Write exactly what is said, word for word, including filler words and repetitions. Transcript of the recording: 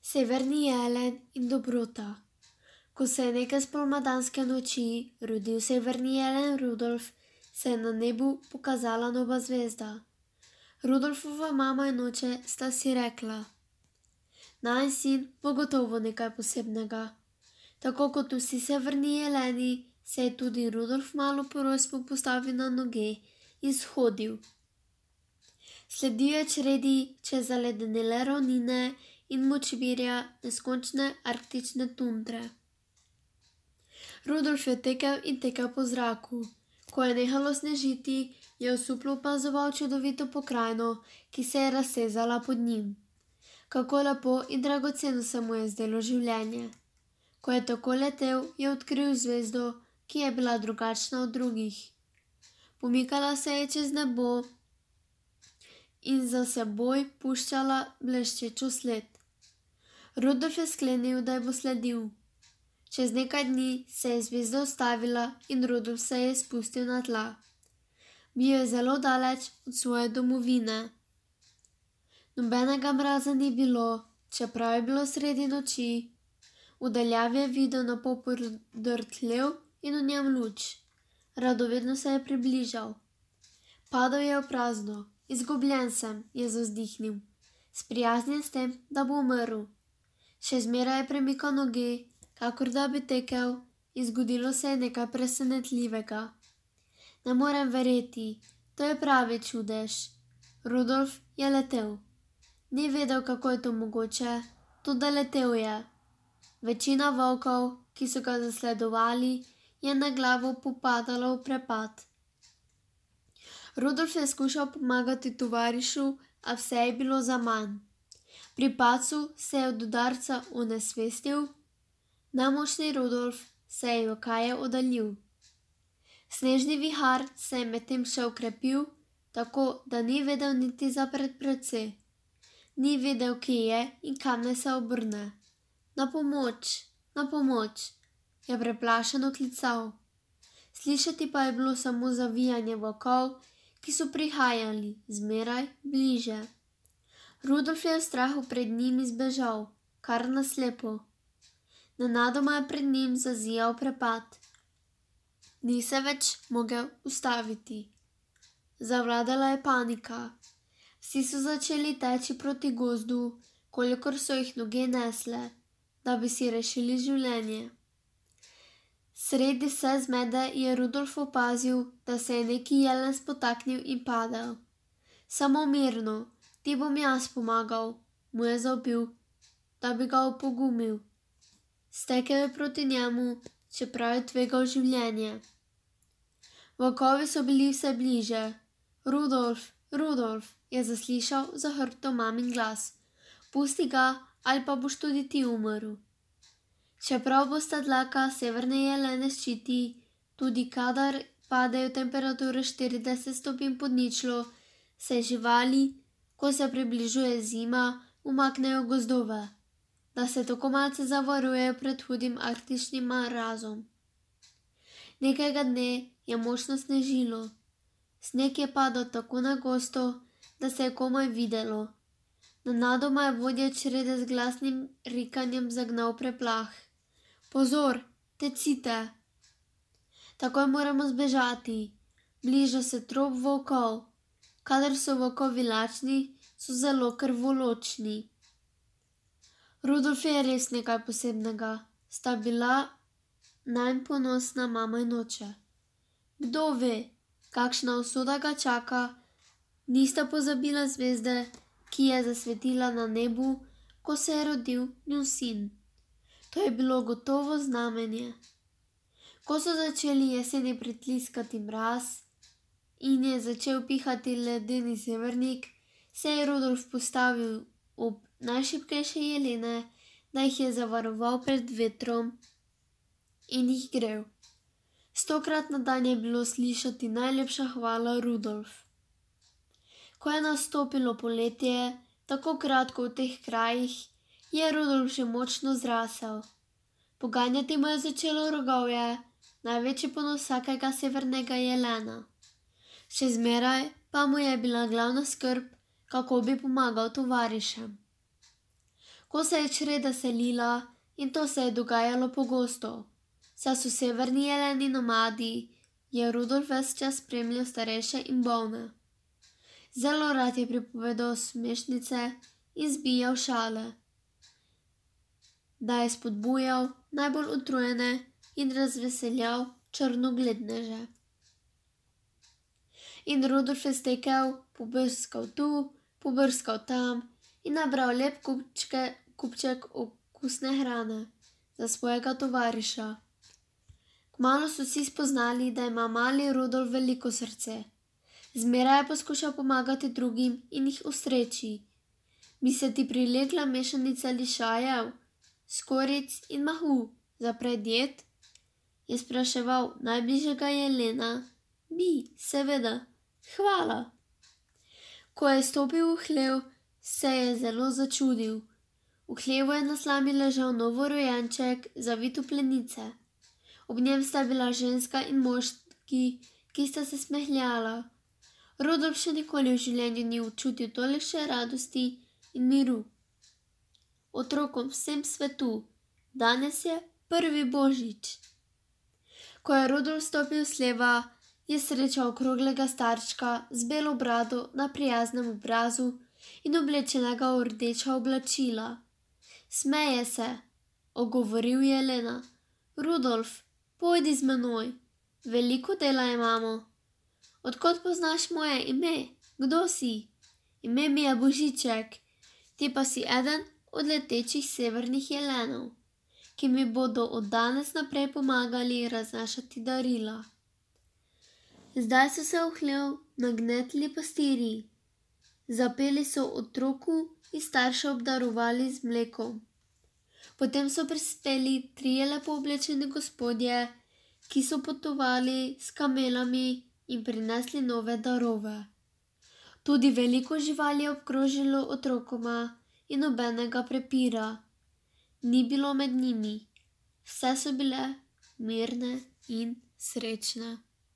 Severni jelen in dobrota. Ko se je neke spomladanske noči rodil severni jelen Rudolf, se je na nebu pokazala nova zvezda. Rudolfova mama in oče sta si rekla: najin sin bo gotovo nekaj posebnega. Tako kot vsi severni jeleni, se je tudi Rudolf malo po rojstvu postavil na noge in shodil. Sledil je čredi čez zaledenele ravnine in močvirja neskončne arktične tundre. Rudolf je tekel in tekel po zraku. Ko je nehalo snežiti, je osuplo opazoval čudovito pokrajino, ki se je raztezala pod njim. Kako lepo in dragoceno se mu je zdelo življenje. Ko je tako letel, je odkril zvezdo, ki je bila drugačna od drugih. Pomikala se je čez nebo in za seboj puščala bleščečo sled. Rudolf je sklenil, da ji bo sledil. Čez nekaj dni se je zvezda ustavila in Rudolf se je spustil na tla. Bil je zelo daleč od svoje domovine. Nobenega mraza ni bilo, čeprav je bilo sredi noči. V daljavi je videl na pol podrt hlev in v njem luč. Radovedno se je približal. Padal je v prazno. Izgubljen sem, je zavzdihnil, sprijaznjen s tem, da bo umrl. Še zmeraj je premikal noge, kakor da bi tekel, in zgodilo se je nekaj presenetljivega. Ne morem verjeti, to je pravi čudež. Rudolf je letel. Ni vedel, kako je to mogoče, toda letel je. Večina volkov, ki so ga zasledovali, je na glavo popadala v prepad. Rudolf je skušal pomagati tovarišu, a vse je bilo zaman. Pri padcu se je od udarca onesvestil. Nemočni Rudolf se je jokaje oddaljil. Snežni vihar se je medtem še okrepil, tako da ni vedel niti za predprece. Ni vedel, kje je in kam naj se obrne. Na pomoč, na pomoč, je preplašeno klical. Slišati pa je bilo samo zavijanje volkov, ki so prihajali zmeraj bliže. Rudolf je v strahu pred njimi zbežal, kar na slepo. Nenadoma je pred njim zazijal prepad. Ni se več mogel ustaviti. Zavladala je panika. Vsi so začeli teči proti gozdu, kolikor so jih noge nesle, da bi si rešili življenje. Sredi vse zmede je Rudolf opazil, da se je neki jelen spotaknil in padel. Samo mirno, ti bom jaz pomagal, mu je zavpil, da bi ga opogumil. Stekel je proti njemu, čeprav je tvegal življenje. Volkovi so bili vse bliže. Rudolf, Rudolf, je zaslišal za hrbtom mamin glas. Pusti ga, ali pa boš tudi ti umrl. Čeprav bosta dlaka severne jelene ščiti, tudi kadar padejo temperature štirideset stopinj pod ničlo, se živali, ko se približuje zima, umaknejo v gozdove, da se tako malce zavarujejo pred hudim arktičnim mrazom. Nekega dne je močno snežilo. Sneg je padal tako na gosto, da se je komaj videlo. Nenadoma je vodja črede z glasnim rikanjem zagnal preplah. Pozor, tecite! Takoj moramo zbežati. Bliža se trop volkov. Kadar so volkovi lačni, so zelo krvoločni. Rudolf je res nekaj posebnega. Sta bila nanj ponosna mama in oče. Kdo ve, kakšna usoda ga čaka, nista pozabila zvezde, ki je zasvetila na nebu, ko se je rodil njun sin. To je bilo gotovo znamenje. Ko so začeli jeseni pritliskati mraz in je začel pihati ledeni severnik, se je Rudolf postavil ob najšibkejše jelene, da jih je zavaroval pred vetrom in jih grel. Stokrat na dan je bilo slišati najlepša hvala Rudolf. Ko je nastopilo poletje, tako kratko v teh krajih, je Rudolf že močno zrasel. Poganjati mu je začelo rogovje, največji ponos vsakega severnega jelena. Še zmeraj pa mu je bila glavna skrb, kako bi pomagal tovarišem. Ko se je čreda selila, in to se je dogajalo pogosto, saj so severni jeleni nomadi, je Rudolf ves čas spremljal starejše in bolne. Zelo rad je pripovedal smešnice in zbijal šale, da je spodbujal najbolj utrujene in razveseljal črnogledneže. In Rudolf je stekel, pobrskal tu, pobrskal tam in nabral lep kupčke, kupček okusne hrane za svojega tovariša. Kmalu so vsi spoznali, da ima mali Rudolf veliko srce. Zmeraj je poskušal pomagati drugim in jih ustreči. Bi se ti prilegla mešanica lišajev, skorjic in mahu za predjed? Je spraševal najbližjega jelena. Bi, seveda. Hvala. Ko je stopil v hlev, se je zelo začudil. V hlevu je na slami ležal novorojenček, zavit v plenice. Ob njem sta bila ženska in moški, ki sta se smehljala. Rudolf še nikoli v življenju ni občutil tolikšne radosti in miru. Otrokom vsem svetu, danes je prvi božič. Ko je Rudolf stopil s hleva, je srečal okroglega starčka z belo brado na prijaznem obrazu in oblečenega v rdeča oblačila. Smeje se, ogovoril je Jelena. Rudolf, pojdi z menoj, veliko dela imamo. Odkot poznaš moje ime? Kdo si? Ime mi je Božiček, ti pa si eden od letečih severnih jelenov, ki mi bodo od danes naprej pomagali raznašati darila. Zdaj so se v hlev nagnetli pastirji. Zapeli so otroku in starše obdarovali z mlekom. Potem so prispeli trije lepo oblečeni gospodje, ki so potovali s kamelami in prinesli nove darove. Tudi veliko živali je obkrožilo otrokoma in nobenega prepira ni bilo med njimi. Vse so bile mirne in srečne.